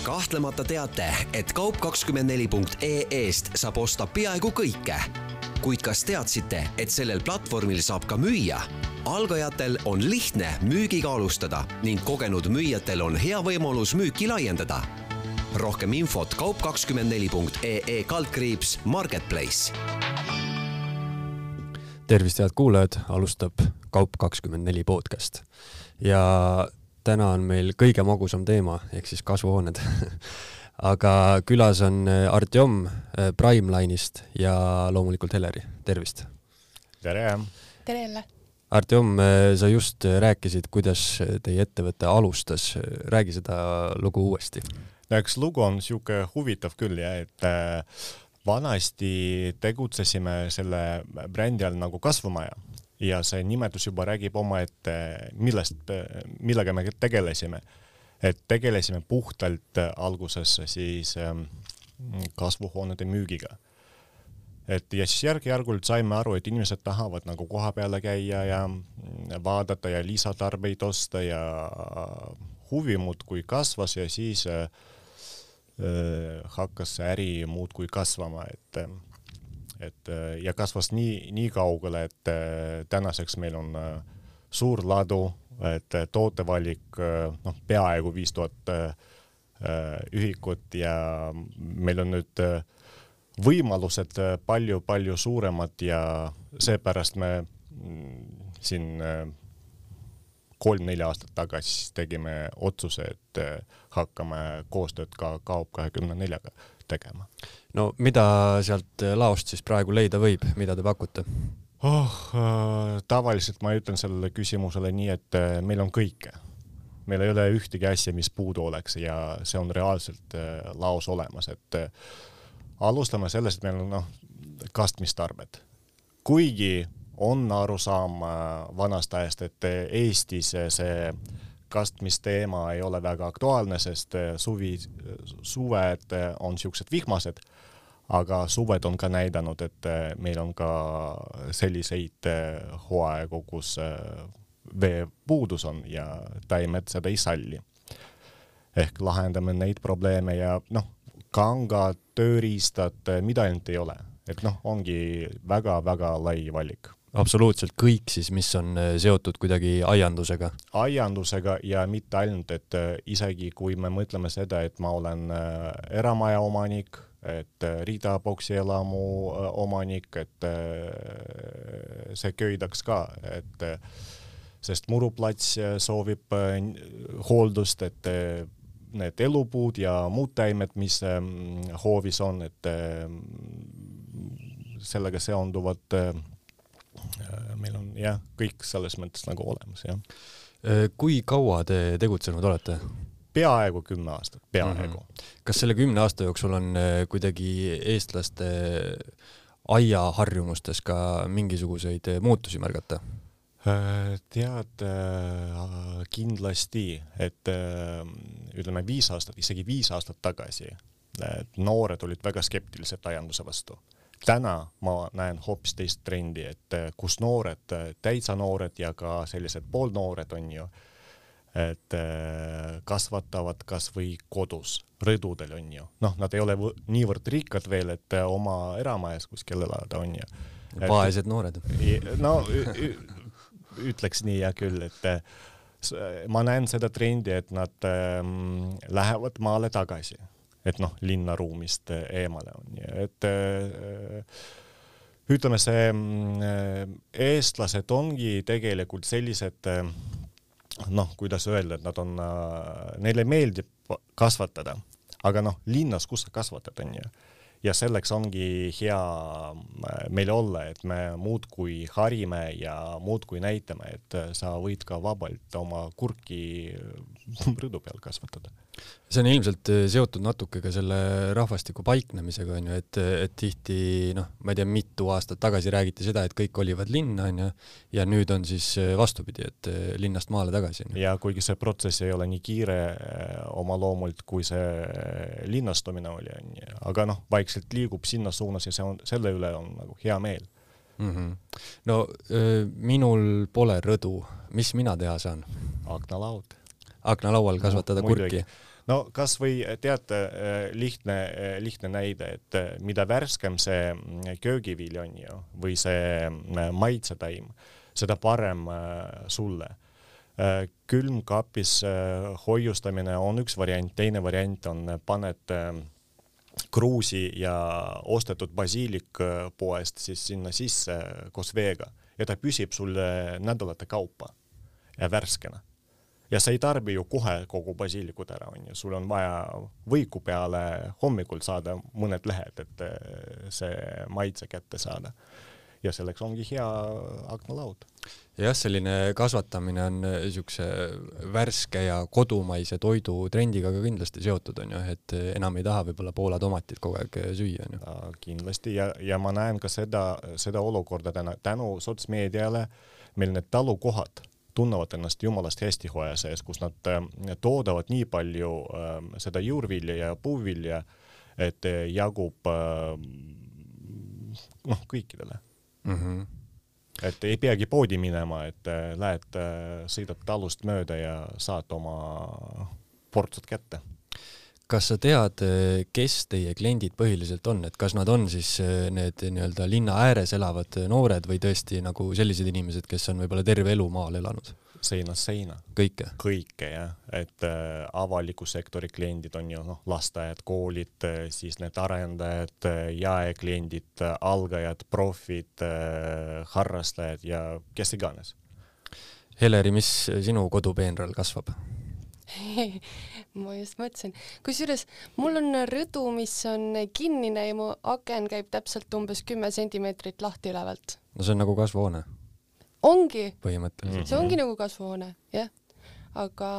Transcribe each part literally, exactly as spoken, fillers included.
Kahtlemata teate, et kaup kakskümmend neli punkt ee eest saab osta peaaegu kõike. Kuid kas teadsite, et sellel platvormil saab ka müüa? Algajatel on lihtne müügiga alustada ning kogenud müüjatel on hea võimalus müüki laiendada. Rohkem infot kaup kakskümmend neli punkt ee kaldkriips Marketplace. Tervist, head kuulajad, alustab Kaup kakskümmend neli podcast. Ja täna on meil kõige magusam teema, ehk siis kasvuhooned. Aga külas on Artjom Primeline'ist ja loomulikult Heleri. Tervist! Tere! Tere jälle! Artjom, sa just rääkisid, kuidas teie ettevõte alustas. Räägi seda lugu uuesti. Üks lugu on siuke huvitav küll, ja, et vanasti tegutsesime selle brändi all nagu kasvumaja ja see nimetus juba räägib oma, et millest, millega me tegelesime. Et tegelesime puhtalt alguses siis kasvuhoonede müügiga. Et ja siis järg-järgult saime aru, et inimesed tahavad nagu koha peale käia ja vaadata ja lisatarbeid osta ja huvi muud kui kasvas ja siis hakkas see äri muud kui kasvama, et, et ja kasvas nii, nii kaugele, et tänaseks meil on suur ladu, et tootevalik noh, peaaegu viis tuhat ühikut ja meil on nüüd võimalused palju, palju suuremad ja seepärast me siin kolm-neli aastat tagasi tegime otsuse, et hakkame koostööd ka Kaup kakskümmend neli tegema. No mida sealt laost siis praegu leida võib, mida te pakute? Oh, tavaliselt ma ütlen sellele küsimusele nii, et meil on kõike. Meil ei ole ühtegi asja, mis puudu oleks ja see on reaalselt laos olemas. Et alustame sellest, et meil on no, kastmistarbed. Kuigi on aru saama vanast ajast, et Eestis see kastmisteema ei ole väga aktuaalne, sest suvi, suved on siuksed vihmased, aga suved on ka näidanud, et meil on ka selliseid hooaegu, kus vee puudus on ja taimed seda ei salli. Ehk lahendame neid probleeme ja noh, kangad, tööriistad, mida ainult ei ole. Et noh, ongi väga-väga lai valik. Absoluutselt kõik siis, mis on seotud kuidagi aiandusega. Aiandusega ja mitte ainult, et isegi kui me mõtleme seda, et ma olen eramaja omanik, et riidaboksi elamu omanik, et see köidaks ka, et sest muruplats soovib hooldust, et need elupuud ja muud täimed, mis hoovis on, et sellega seonduvad meil on jah, kõik selles mõttes nagu olemas. Jah. Kui kaua te tegutsenud olete? Peaaegu kümme aastat, peaaegu. Mm-hmm. Kas selle kümne aasta jooksul on kuidagi eestlaste aiaharjumustes ka mingisuguseid muutusi märgata? Tead, kindlasti, et ütleme viis aastat, isegi viis aastat tagasi noored olid väga skeptilised aianduse vastu. Täna ma näen hoopis teist trendi, et kus noored, täitsa noored ja ka sellised poolnoored on ju, et kasvatavad kas või kodus, rõdudel on ju. Noh, nad ei ole niivõrd rikkad veel, et oma eramajas kuskil elada on ju. Vaesed noored. No, ütleks nii ja küll, et ma näen seda trendi, et nad lähevad maale tagasi. Et noh, linnaruumist eemale on. Et ütleme, see eestlased ongi tegelikult sellised, noh, kuidas öelda, et nad on, neile meeldib kasvatada, aga noh, linnas, kus sa kasvatad on ju. Ja selleks ongi hea meil olla, et me muud kui harime ja muud kui näitame, et sa võid ka vabalt oma kurki rõdu peal kasvatada. See on ilmselt seotud natuke ka selle rahvastiku paiknemisega, on ju, et, et tihti, noh, ma ei tea, mitu aastat tagasi räägiti seda, et kõik olivad linna, on ju, ja nüüd on siis vastupidi, et linnast maale tagasi. Ja kuigi see protsess ei ole nii kiire oma loomult, kui see linnastumine oli, on ju. Aga noh, vaikselt liigub sinna suunas ja see on, selle üle on nagu hea meel. Mm-hmm. No minul pole rõdu. Mis mina teha saan? Aknalaud. aknalaual kasvatada no, kurki. No kas või teate lihtne, lihtne näide, et mida värskem see köögivilja on ju, või see maitsetaim, seda parem sulle. Külmkapis hoiustamine on üks variant, teine variant on paned kruusi ja ostetud basiilik poest siis sinna sisse koos veega ja ta püsib sulle nädalate kaupa ja värskena. Ja sa ei tarbi ju kohe kogu basiilikut ära, on ju. Sul on vaja võiku peale hommikul saada mõned lähed, et see maitse kätte saada. Ja selleks ongi hea aknalaud. Jah, selline kasvatamine on niisuguse värske ja kodumaise toidu trendiga ka kindlasti seotud, on ju, et enam ei taha võib-olla Poola tomatit kogu aeg süüa. On ju. Ja, kindlasti ja, ja ma näen ka seda, seda olukorda täna, tänu sotsmeediale meil need talukohad tunnevad ennast jumalast hästi hoia sees, kus nad toodavad nii palju äh, seda juurvilja ja puuvilja, et jagub äh, noh, kõikidele. Mm-hmm. Et ei peagi poodi minema, et lähed, sõidad talust mööda ja saad oma portsud kätte. Kas sa tead, kes teie kliendid põhiliselt on, et kas nad on siis need nii-öelda linna ääres elavad noored või tõesti nagu sellised inimesed, kes on võib-olla terve elu maal elanud? Seina, seina. Kõike? Kõike, jah. Et äh, avaliku sektori kliendid on ju noh, lastajad, koolid, siis need arendajad, jaekliendid, algajad, profid, äh, harrastajad ja kes iganes. Heleri, mis sinu kodupeenral kasvab? Ma just mõtlesin. Kusjuures mul on rõdu, mis on kinnine ja mu aken käib täpselt umbes kümme sentimeetrit lahti ülevalt. No see on nagu kasvuhoone. Ongi. Põhimõtteliselt. See ongi nagu kasvuhoone, jah. Aga...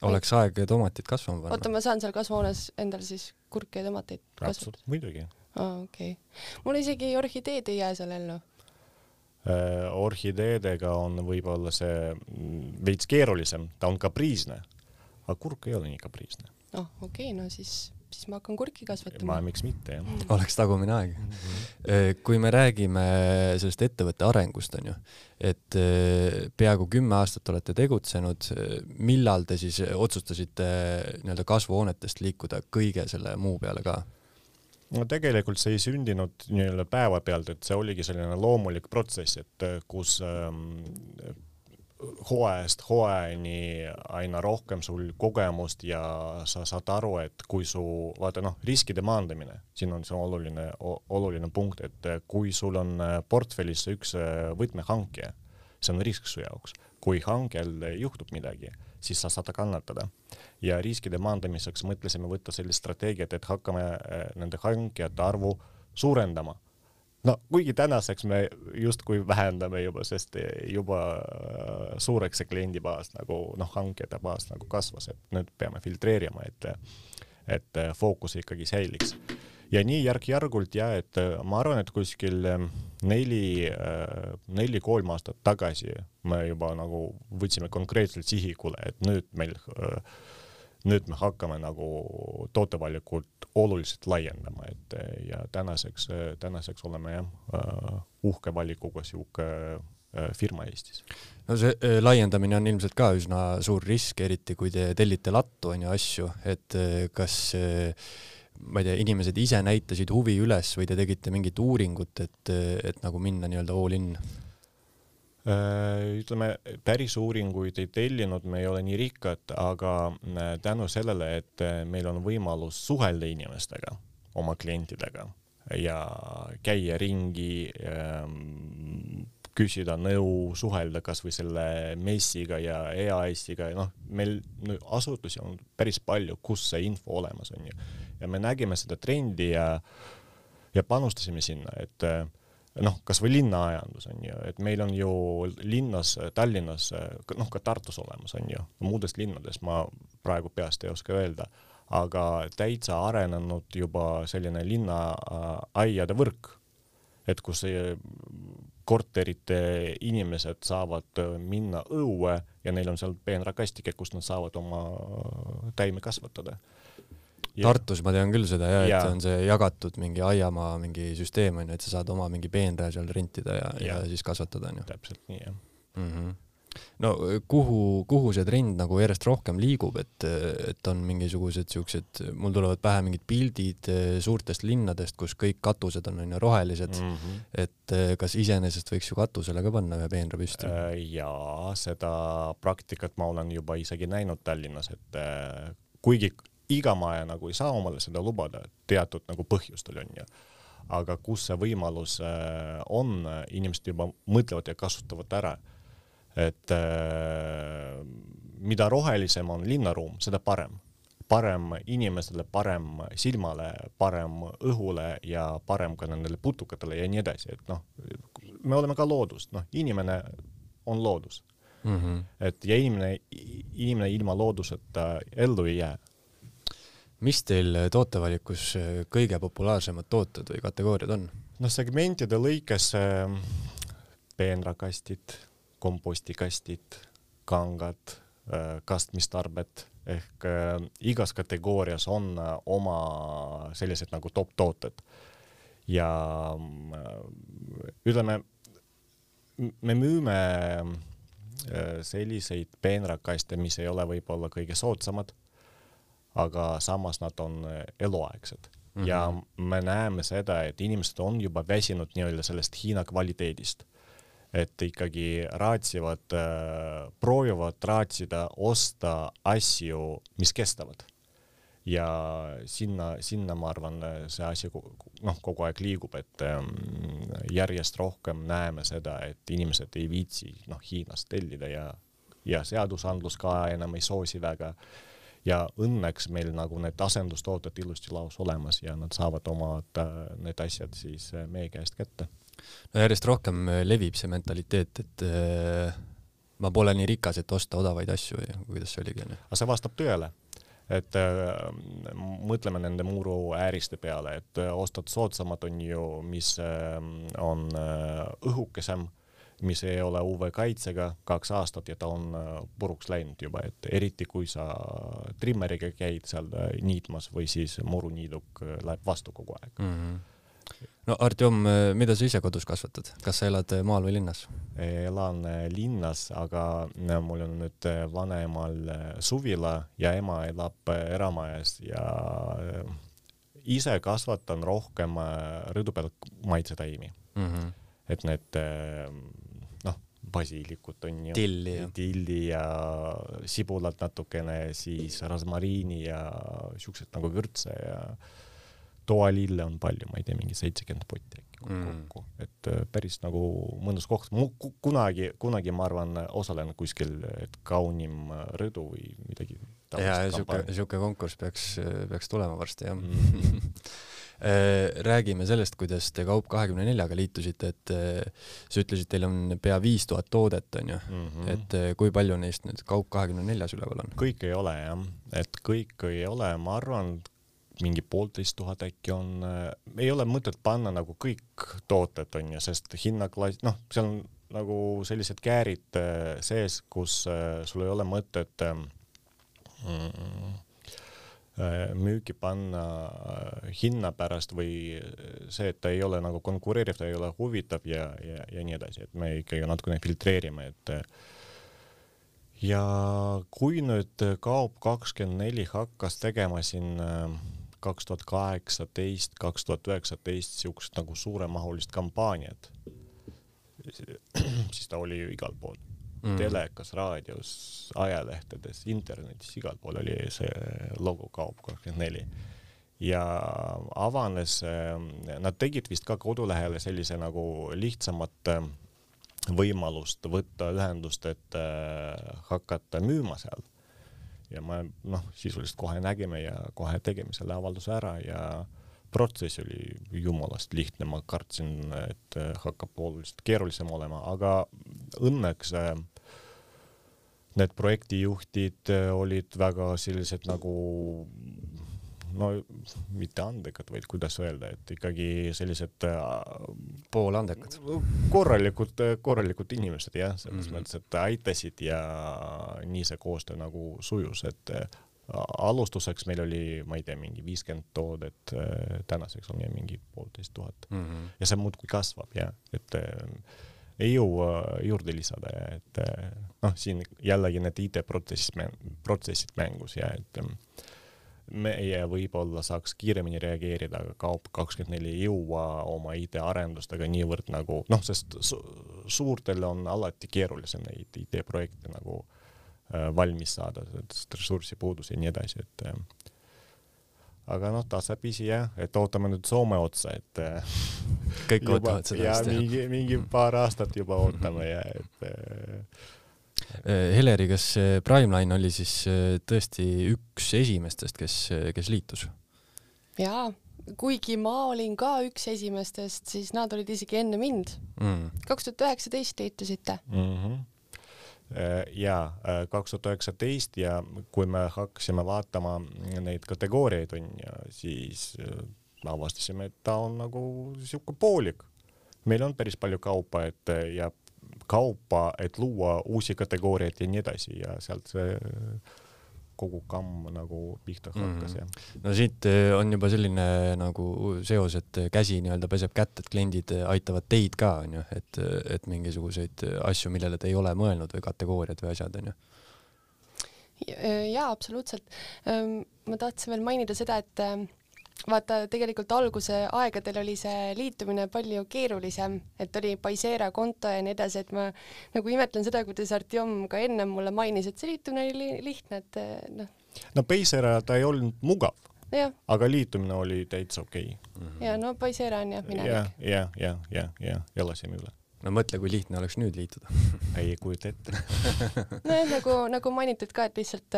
Oleks aeg tomatit kasvama panna. Oota, ma saan seal kasvuhoones endal siis kurke ja tomateid kasvata. Muidugi. Ah, okei. Okay. Mul isegi orhideed ei jää seal ellu. Äh, orhideedega on võib-olla see veits keerulisem. Ta on kapriisne, aga kurk ei ole nii kapriisne. Oh, okei, okay, no siis... siis ma hakkan kurki kasvatama. Ma miks mitte, jah. Oleks tagumine aeg. Mm-hmm. Kui me räägime sellest ettevõtte arengust, on ju, et peaaegu kümme aastat olete tegutsenud, millal te siis otsustasite nii-öelda kasvuhoonetest liikuda kõige selle muu peale ka? No tegelikult see ei sündinud nii-öelda päeva pealt, et see oligi selline loomulik protsess, et kus ähm, hooajast hooajani aina rohkem sul kogemust ja sa saad aru, et kui su, vaata noh, riskide maandamine, siin on see oluline, oluline punkt, et kui sul on portfellis üks võtmehankija, see on risk su jaoks. Kui hankel juhtub midagi, siis sa saad kannatada. Ja riskide maandamiseks mõtlesime võtta sellist strateegiat, et hakkame nende hankijate arvu suurendama. No, kuigi tänaseks me just kui vähendame juba, sest juba suureks see kliendi baas, nagu noh, hankijate baas nagu kasvas, et nüüd peame filtreerima, et, et fookus ikkagi säiliks. Ja nii järg-järgult ja, et ma arvan, et kuskil neli, neli kolm aastat tagasi me juba nagu võtsime konkreetselt sihikule, et nüüd meil nüüd me hakkame nagu tootevalikult oluliselt laiendama, et ja tänaseks, tänaseks oleme jah, uhke valikuga siuke firma Eestis. No see laiendamine on ilmselt ka üsna suur risk, eriti kui te tellite lattu on ju asju, et kas ma ei tea, inimesed ise näitasid huvi üles või te tegite mingit uuringut, et, et nagu minna nii-öelda all in? Ütleme, päris uuringuid ei tellinud, me ei ole nii rikkad, aga tänu sellele, et meil on võimalus suhelda inimestega, oma klientidega ja käia ringi, küsida nõu, suhelda kas või selle messiga ja E A S-iga. No, meil asutusi on päris palju, kus see info olemas on ju. Ja me nägime seda trendi ja, ja panustasime sinna, et noh, kas või linnaajandus on ju, et meil on ju linnas, Tallinnas, noh ka Tartus olemas on ju, muudest linnades ma praegu peast ei oska öelda, aga täitsa arenenud juba selline linnaaiade võrk, et kus korterite inimesed saavad minna õue ja neil on seal peenrakastike, kus nad saavad oma täime kasvatada. Ja. Tartus ma tean küll seda, ja, ja. Et on see jagatud mingi aiamaa mingi süsteem, on, et sa saad oma mingi peenraja seal rentida ja, ja. ja siis kasvatada. On ju. Täpselt nii, jah. Mm-hmm. no kuhu, kuhu see trend nagu järjest rohkem liigub, et, et on mingisugused siuksed, mul tulevad pähe mingid pildid suurtest linnadest, kus kõik katused on aina rohelised, mm -hmm. et kas iseenesest võiks ju katusele ka panna ühe peenra püsti? Jaa, seda praktikat ma olen juba isegi näinud Tallinnas, et kuigi iga maja nagu ei saa omale seda lubada, teatud nagu põhjustel on ju, aga kus see võimalus on, inimesed juba mõtlevad ja kasutavad ära. Et äh, mida rohelisem on linnaruum, seda parem. Parem inimesele, parem silmale, parem õhule ja parem ka nendele putukatele ja nii edasi. Et noh, me oleme ka loodust, noh, inimene on loodus. Mm -hmm. Et ja inimene, inimene ilma looduseta ellu ei jää. Mis teil tootevalikus kõige populaarsemad tooted või kategooriad on? No segmentide lõikes äh, peenrakastid, kompostikastid, kangad, kastmistarbed ehk äh, igas kategoorias on äh, oma sellised nagu top tooted ja äh, ütleme, me müüme äh, selliseid peenrakaste, mis ei ole võib-olla kõige soodsamad, aga samas nad on eluaegsed mm -hmm. ja me näeme seda, et inimesed on juba väsinud nii-öelda sellest Hiina kvaliteedist. Et ikkagi raatsivad, äh, proovivad raatsida, osta asju, mis kestavad. Ja sinna, sinna ma arvan, see asi noh, kogu aeg liigub, et ähm, järjest rohkem näeme seda, et inimesed ei viitsi noh, Hiinast tellida ja, ja seadusandlus ka enam ei soosi väga. Ja õnneks meil nagu need asendustooted ilusti laus olemas ja nad saavad oma need asjad siis meie käest kätte. No järjest rohkem levib see mentaliteet, et äh, ma pole nii rikas, et osta odavaid asju ja kuidas see oligi. Aga see vastab tõele, et äh, mõtleme nende muru ääriste peale, et äh, ostad soodsamad on ju, mis äh, on äh, õhukesem, mis ei ole U V-kaitsega kaks aastat ja ta on äh, puruks läinud juba, et eriti kui sa trimmeriga käid seal äh, niitmas või siis muruniiduk äh, läheb vastu kogu aeg. Mm -hmm. No Artjom, mida sa ise kodus kasvatad? Kas sa elad maal või linnas? Elan linnas, aga mul on nüüd vanemal suvila ja ema elab eramajas ja ise kasvatan rohkem rõdu peal maitsetaimi. Mm -hmm. Et need noh, basiilikud on ju. Tilli ja. Tilli ja sibulad natukene, siis rasmariini ja siuksed nagu vürtse ja toalille on palju, ma ei tea, mingi seitsekümmend potti kokku, mm. et päris nagu mõnus koht. Kunagi, kunagi ma arvan, osalen kuskil, et kaunim rõdu või midagi. Ja siuke, siuke konkurss peaks, peaks tulema varsti, jah. Mm. Räägime sellest, kuidas te Kaup kahekümne neljaga liitusite, et sa ütlesid, teil on pea viis tuhat toodet, on ju, mm -hmm. et kui palju neist nüüd Kaup kahekümne neljas üleval on? Kõik ei ole, jah. Et kõik ei ole, ma arvan, mingi poolteist tuhat äkki on, ei ole mõtet panna nagu kõik tooted on ja sest hinnaklass, noh, seal on nagu sellised käärid sees, kus sul ei ole mõtet mm, müügi panna hinna pärast või see, et ta ei ole nagu konkureeriv, ta ei ole huvitav ja, ja, ja nii edasi, et me ikkagi natukene filtreerime, et ja kui nüüd Kaup kakskümmend neli hakkas tegema siin kaks tuhat kaheksateist, kaks tuhat üheksateist siukest nagu suuremahulist kampaaniat, siis ta oli ju igal pool. Mm. Telekas, raadios, ajalehtedes, internetis, igal pool oli see logo Kaup kakskümmend neli. Ja avanes, nad tegid vist ka kodulehele sellise nagu lihtsamat võimalust võtta ühendust, et hakata müüma seal. Ja ma noh, sisuliselt kohe nägime ja kohe tegime selle avalduse ära ja protsess oli jumalast lihtne, ma kartsin, et hakkab oluliselt keerulisem olema, aga õnneks need projektijuhtid olid väga sellised nagu no mitte andekad, vaid kuidas öelda, et ikkagi sellised poolandekad, korralikud, korralikud inimesed, jah, selles mm -hmm. mõttes, et aitasid ja nii see koostöö nagu sujus, et alustuseks meil oli, ma ei tea, mingi viiskümmend toodet, tänaseks on mingi poolteist tuhat mm -hmm. ja see muudkui kasvab, jah, et ei jõua juurde lisada ja et noh, siin jällegi need I T-protsessid protsessid mängus ja et meie võib-olla saaks kiiremini reageerida, aga Kaup kakskümmend neli ei jõua oma I T-arendustega niivõrd nagu, noh, sest su suurtel on alati keerulisem neid I T-projekte nagu äh, valmis saada, ressursipuudus ja nii edasi, et äh, aga noh, tasapisi jah, et ootame nüüd Soome otsa, et kõik juba, ootavad seda. Ja mingi, mingi paar aastat juba ootame ja et Heleri, kas Primeline oli siis tõesti üks esimestest, kes, kes liitus? Jaa, kuigi ma olin ka üks esimestest, siis nad olid isegi enne mind. Mm. kaks tuhat üheksateist liitusite. Mm-hmm. Ja kaks tuhat üheksateist ja kui me hakkasime vaatama neid kategooriaid on ja siis avastasime, et ta on nagu siuke poolik. Meil on päris palju kaupa, et ja kaupa, et luua uusi kategooriaid ja nii edasi ja sealt see kogu kamm nagu pihta hakkas. Mm. Ja. No siit on juba selline nagu seos, et käsi nii-öelda peseb kätt, et kliendid aitavad teid ka, on ju, et, et mingisuguseid asju, millele te ei ole mõelnud või kategooriad või asjad, on ju? Jaa, absoluutselt. Ma tahtsin veel mainida seda, et vaata, tegelikult alguse aegadel oli see liitumine palju keerulisem, et oli Paisera konto ja nii edasi, et ma nagu imetlen seda, kuidas Artjom ka enne mulle mainis, et see liitumine oli lihtne, et noh. No Paisera ta ei olnud mugav, ja. Aga liitumine oli täitsa okei. Okay. Ja no Paisera on jah minevik. Ja, ja, ja, ja, ja, elasime üle. No mõtle, kui lihtne oleks nüüd liituda. Ei kujuta ette. No nagu, nagu mainitud ka, et lihtsalt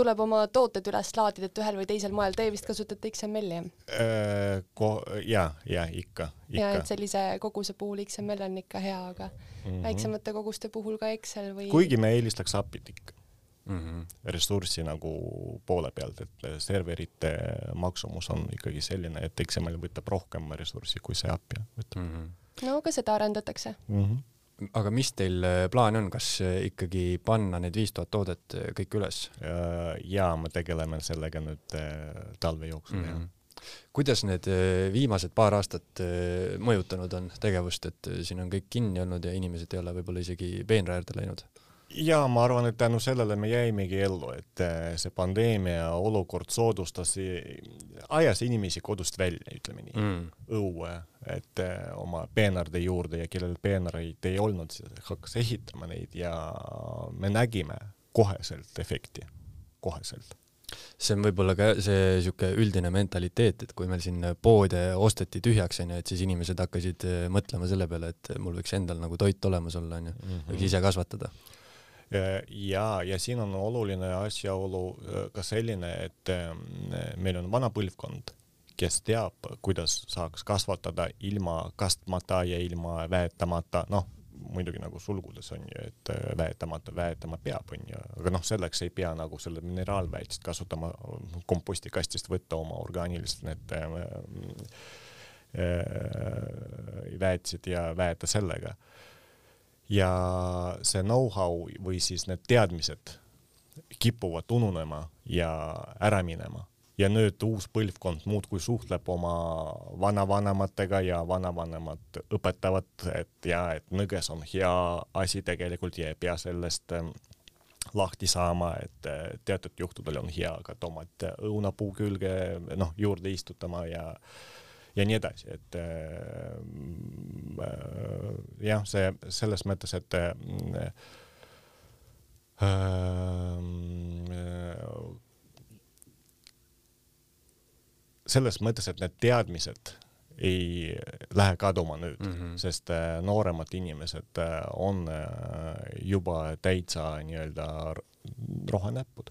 tuleb oma tooted üles laadida, et ühel või teisel moel. Te vist kasutate X M L-i? Äh, ko-, ja, ja, ikka, ikka. Ja, et sellise koguse puhul X M L on ikka hea, aga mm-hmm. väiksemate koguste puhul ka Excel või... Kuigi me eelistaks apit ikka. Mm-hmm. Ressurssi nagu poole pealt, et serverite maksumus on ikkagi selline, et X M L võtab rohkem ressurssi kui see app võtab. Mm-hmm. No, ka seda arendatakse. Mm-hmm. Aga mis teil plaan on, kas ikkagi panna need viis tuhat toodet kõik üles? Ja me tegeleme sellega nüüd talve jooksul. Mm-hmm. Kuidas need viimased paar aastat mõjutanud on tegevust, et siin on kõik kinni olnud ja inimesed ei ole võib-olla isegi peenraäärde läinud? Ja ma arvan, et tänu sellele me jäimegi ellu, et see pandeemia olukord soodustas, ajas inimesi kodust välja, ütleme nii, mm. õue, et oma peenarde juurde ja kellel peenareid ei olnud, siis hakkas ehitama neid ja me nägime koheselt efekti, koheselt. See on võib-olla ka see siuke üldine mentaliteet, et kui meil siin poode osteti tühjaks, et siis inimesed hakkasid mõtlema selle peale, et mul võiks endal nagu toit olemas olla, võiks ise kasvatada. Ja, ja siin on oluline asjaolu ka selline, et meil on vana põlvkond, kes teab, kuidas saaks kasvatada ilma kastmata ja ilma väetamata, noh, muidugi nagu sulgudes on ju, et väetamata, väetama peab, on ju, aga noh, selleks ei pea nagu selle mineraalväetist kasutama, kompostikastist võtta oma orgaanilised need väetsid ja väeta sellega. Ja see know-how või siis need teadmised kipuvad ununema ja ära minema. Ja nüüd uus põlvkond muud kui suhtleb oma vanavanematega ja vanavanemad õpetavad, et ja, et nõges on hea asi tegelikult ja ei pea sellest lahti saama, et teatud juhtudel on hea ka tomat õunapuu külge noh, juurde istutama ja ja nii edasi, et äh, jah, see selles mõttes, et äh, selles mõttes, et need teadmised ei lähe kaduma nüüd, mm-hmm. sest äh, nooremad inimesed äh, on äh, juba täitsa nii-öelda rohenäppud.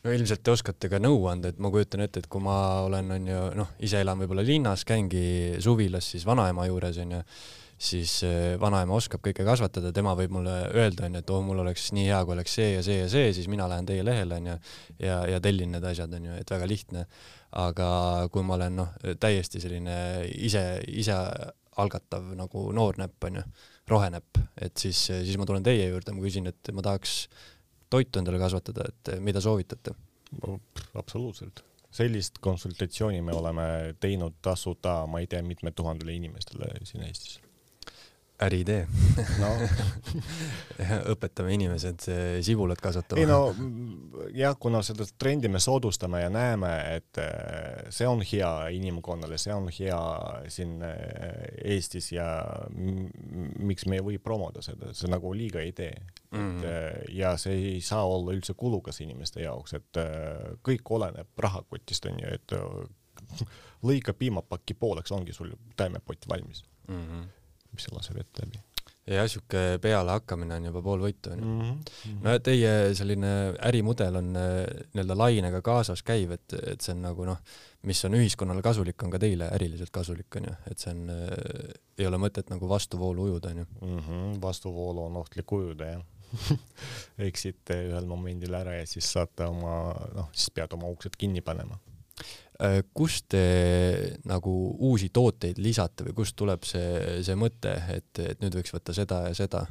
No ilmselt te oskate ka nõu anda, et ma kujutan ette, et kui ma olen, on ju, noh, ise elan võib-olla linnas, käingi suvilas siis vanaema juures, on ju, siis vanaema oskab kõike kasvatada, tema võib mulle öelda, on ju, et oh, mul oleks nii hea, kui oleks see ja see ja see, siis mina lähen teie lehele, on ju, ja, ja tellin need asjad, on ju, et väga lihtne. Aga kui ma olen, noh, täiesti selline ise, ise algatav nagu noornäpp, on ju, rohenäpp, et siis, siis ma tulen teie juurde, ma küsin, et ma tahaks toitu endale kasvatada, et mida soovitate? Absoluutselt. Sellist konsultatsiooni me oleme teinud tasuta, ma ei tea, mitme tuhandele inimestele siin Eestis. äriidee. No. Õpetame inimesed sibulat kasvatama. Ei no, jah, kuna seda trendi me soodustame ja näeme, et see on hea inimkonnale, see on hea siin Eestis ja miks me ei või promoda seda, see nagu liiga ei tee. Mm-hmm. Et, ja see ei saa olla üldse kulukas inimeste jaoks, et kõik oleneb rahakotist, on ju, et lõika piimapakki pooleks, ongi sul taimepott valmis. Mm-hmm. mis see laseb ette läbi. Ja siuke peale hakkamine on juba pool võitu. Mm -hmm. No teie selline ärimudel on nii-öelda lainega kaasas käiv, et, et see on nagu noh, mis on ühiskonnale kasulik, on ka teile äriliselt kasulik, on ju, et see on, ei ole mõtet nagu vastuvoolu ujuda, on ju. Mm -hmm. Vastuvoolu on ohtlik ujuda, jah. Eksite ühel momendil ära ja siis saate oma, noh, siis pead oma uksed kinni panema. Kust te nagu uusi tooteid lisate või kust tuleb see, see mõte, et, et nüüd võiks võtta seda ja seda?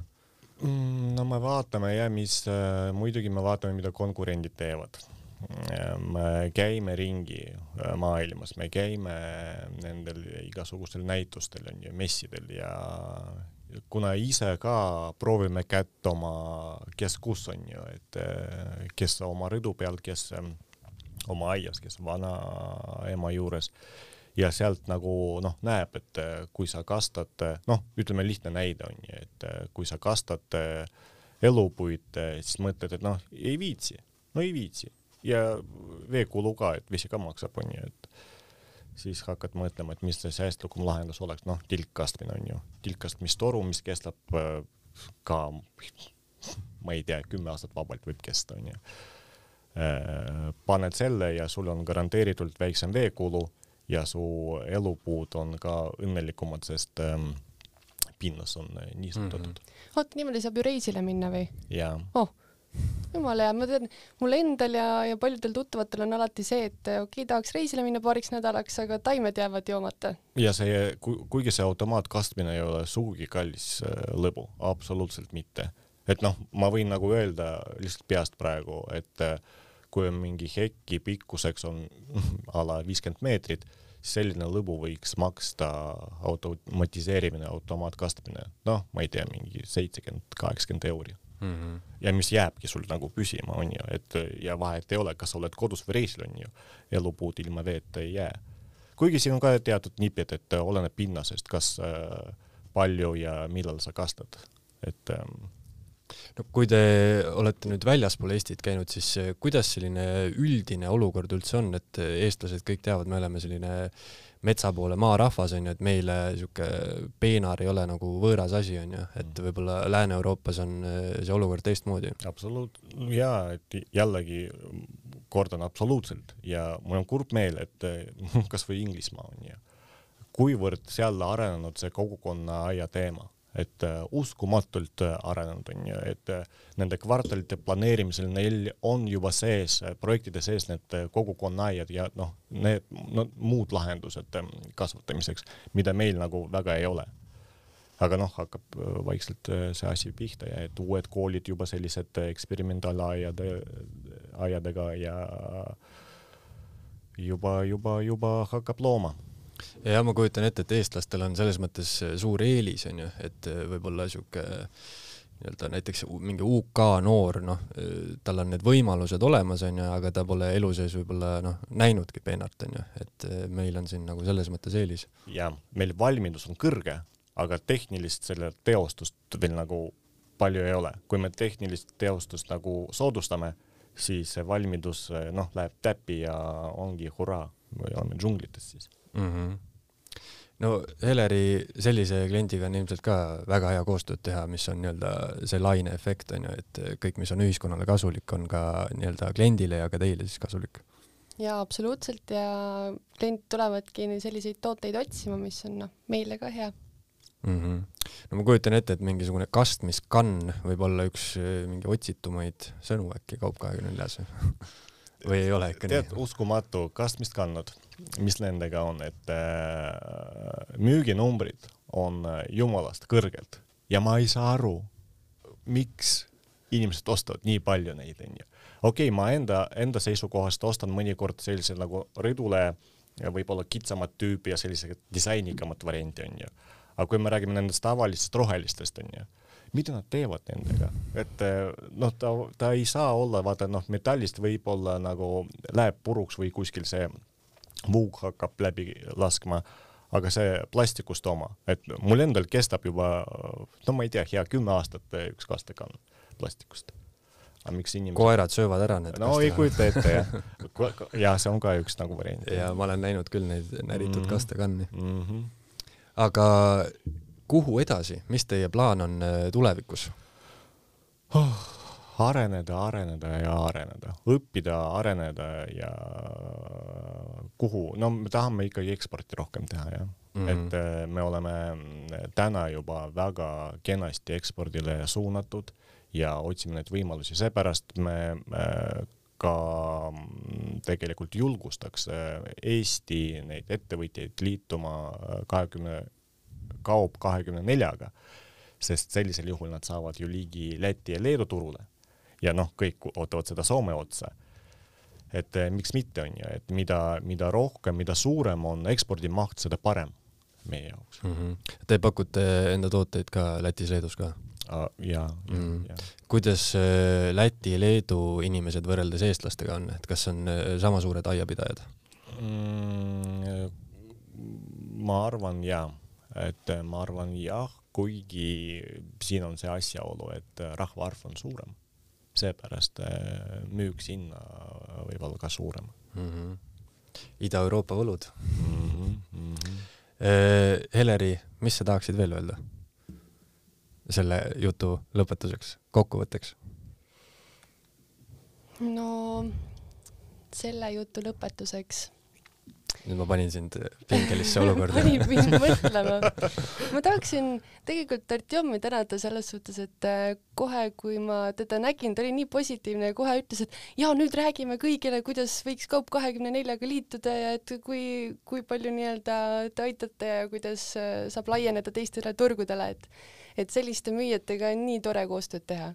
No me vaatame ja mis, muidugi me vaatame, mida konkurendid teevad. Me käime ringi maailmas, me käime nendel igasugustel näitustel on ju, messidel ja kuna ise ka proovime kätt oma, kes kus on ju, et kes oma rõdu peal, kes oma aias, kes on vana ema juures ja sealt nagu noh, näeb, et kui sa kastad, noh, ütleme lihtne näide on ju, et kui sa kastad elupuid, siis mõtled, et noh, ei viitsi, no ei viitsi ja veekulu ka, et vesi ka maksab on ju, et siis hakkad mõtlema, et mis see säästlikum lahendus oleks, noh, tilkkastmine on ju, tilkkastmistoru, mis kestab ka, ma ei tea, kümme aastat vabalt võib kesta on ju. Paned selle ja sul on garanteeritult väiksem veekulu ja su elupuud on ka õnnelikumad, sest ähm, pinnas on niisutatud. Mm-hmm. Oot, niimoodi saab ju reisile minna või? Jaa. Oh, jumala ja ma tean, mul endal ja, ja paljudel tuttavatel on alati see, et okei, okay, tahaks reisile minna paariks nädalaks, aga taimed jäävad joomata. Ja see, kuigi see automaatkastmine ei ole sugugi kallis lõbu, absoluutselt mitte. Et noh, ma võin nagu öelda lihtsalt peast praegu, et kui on mingi hekki pikkuseks on ala viiskümmend meetrit, siis selline lõbu võiks maksta automatiseerimine, automaatkastmine. Noh, ma ei tea, mingi seitsekümmend kaheksakümmend euri. Mm-hmm. Ja mis jääbki sul nagu püsima on ju, et ja vahet ei ole, kas oled kodus või reisil on ju, elupuud ilma veeta ei jää. Kuigi siin on ka teatud nipid, et oleneb pinnasest, kas palju ja millal sa kastad. Et no kui te olete nüüd väljaspool Eestit käinud, siis kuidas selline üldine olukord üldse on, et eestlased kõik teavad, me oleme selline metsa poole maarahvas on ju, et meile siuke peenar ei ole nagu võõras asi on ju, et võib-olla Lääne-Euroopas on see olukord teistmoodi. Absoluut, jaa, et jällegi kordan absoluutselt ja mul on kurb meel, et kas või Inglismaa on ju, kuivõrd seal arenenud see kogukonna aia teema. Et uh, uskumatult uh, arenenud on ju, et uh, nende kvartalite planeerimisel neil on juba sees, uh, projektide sees need uh, kogukonnaaiad ja noh, need no, muud lahendused um, kasvatamiseks, mida meil nagu väga ei ole. Aga noh, hakkab uh, vaikselt uh, see asi pihta ja et uued koolid juba sellised uh, eksperimentaalaiade, aiadega ja juba, juba, juba hakkab looma. Ja ma kujutan ette, et eestlastel on selles mõttes suur eelis, on ju, et võib-olla siuke nii-öelda näiteks mingi U K noor, noh, tal on need võimalused olemas, on ju, aga ta pole elu sees võib-olla noh, näinudki peenart, on ju, et meil on siin nagu selles mõttes eelis. Ja meil valmidus on kõrge, aga tehnilist selle teostust veel nagu palju ei ole. Kui me tehnilist teostust nagu soodustame, siis valmidus noh, läheb täppi ja ongi hurraa või oleme džunglites siis. Mm-hmm. No Heleri sellise kliendiga on ilmselt ka väga hea koostööd teha, mis on nii-öelda see laine efekt on ju, et kõik, mis on ühiskonnale kasulik, on ka nii-öelda kliendile ja ka teile siis kasulik. Ja absoluutselt ja klient tulevadki selliseid tooteid otsima, mis on no, meile ka hea. Mm-hmm. No ma kujutan ette, et mingisugune kastmiskann võib olla üks mingi otsitumaid sõnu äkki Kaup kahekümne neljas või ei ole ikka Tead, nii? Uskumatu kastmist kannad, mis nendega on, et äh, müüginumbrid on jumalast kõrgelt ja ma ei saa aru, miks inimesed ostavad nii palju neid. Okei, okay, ma enda, enda seisukohast ostan mõnikord sellise nagu rõdule võib-olla kitsamat tüüpi ja sellise disainikamat varianti on ju. aga kui me räägime nendest tavalistest rohelistest, on ju, mida nad teevad nendega, et noh, ta, ta ei saa olla, vaata noh, metallist võib olla nagu läheb puruks või kuskil see vuug hakkab läbi laskma, aga see plastikust oma, et mul endal kestab juba, no ma ei tea, hea kümme aastat üks kastekann plastikust. Aga miks inimesed... Koerad söövad ära need no ei kujuta ette, jah. Ja see on ka üks nagu variant. Ja ma olen näinud küll neid näritud mm-hmm. kastekanni. Mm-hmm. Aga kuhu edasi? Mis teie plaan on tulevikus? Oh, areneda, areneda ja areneda. Õppida, areneda ja kuhu? No me tahame ikkagi eksporti rohkem teha, jah. Mm-hmm. Et me oleme täna juba väga kenasti ekspordile suunatud ja otsime neid võimalusi. Seepärast me ka tegelikult julgustaks Eesti neid ettevõtjaid liituma kahekümne kaup kahekümne neljaga, sest sellisel juhul nad saavad ju ligi Läti ja Leedu turule. Ja noh, kõik ootavad seda Soome otsa. Et miks mitte on ju, et mida, mida rohkem, mida suurem on ekspordimaht, seda parem meie jaoks. Mm-hmm. Te pakute enda tooteid ka Lätis, Leedus ka? Uh, ja, mm. ja. Kuidas Läti ja Leedu inimesed võrreldes eestlastega on? Et kas on sama suured aiapidajad? Mm, ma arvan, jah. Et ma arvan, jah, kuigi siin on see asjaolu, et rahvaarv on suurem. Seepärast müük sinna võib olla ka suurem. Mm-hmm. Ida-Euroopa võlud. Mm-hmm. Mm-hmm. Heleri, mis sa tahaksid veel öelda selle jutu lõpetuseks, kokkuvõtteks? No selle jutu lõpetuseks nüüd ma panin sind pingelisse olukorda. Panin mind mõtlema. Ma tahaksin tegelikult Artjomi tänada selles suhtes, et kohe, kui ma teda nägin, ta oli nii positiivne ja kohe ütles, et ja nüüd räägime kõigile, kuidas võiks kaup kahekümne neljaga liituda ja et kui, kui palju nii-öelda te aitate ja kuidas saab laieneda teistele turgudele, et, et selliste müüjatega on nii tore koostööd teha.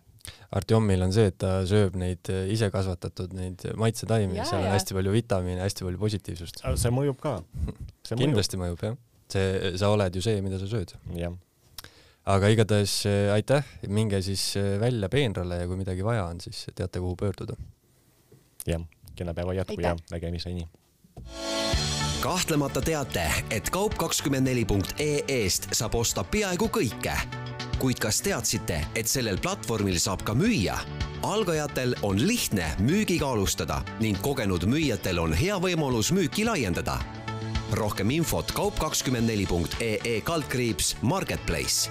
Artjomil on see, et ta sööb neid ise kasvatatud neid maitsetaimi, seal on ja. hästi palju vitamiine, hästi palju positiivsust. See mõjub ka. See Kindlasti mõjub, mõjub jah. See, sa oled ju see, mida sa sööd. Ja. Aga igatahes aitäh, minge siis välja peenrale ja kui midagi vaja on, siis teate, kuhu pöörduda. Jah, kena päeva jätku ja nägemiseni. Kahtlemata teate, et kaup kakskümmend neli punkt ee eest saab osta peaaegu kõike. Kuid kas teadsite, et sellel platvormil saab ka müüa? Algajatel on lihtne müügiga alustada ning kogenud müüjatel on hea võimalus müüki laiendada. Rohkem infot kaup kakskümmend neli punkt ee kaldkriips Marketplace.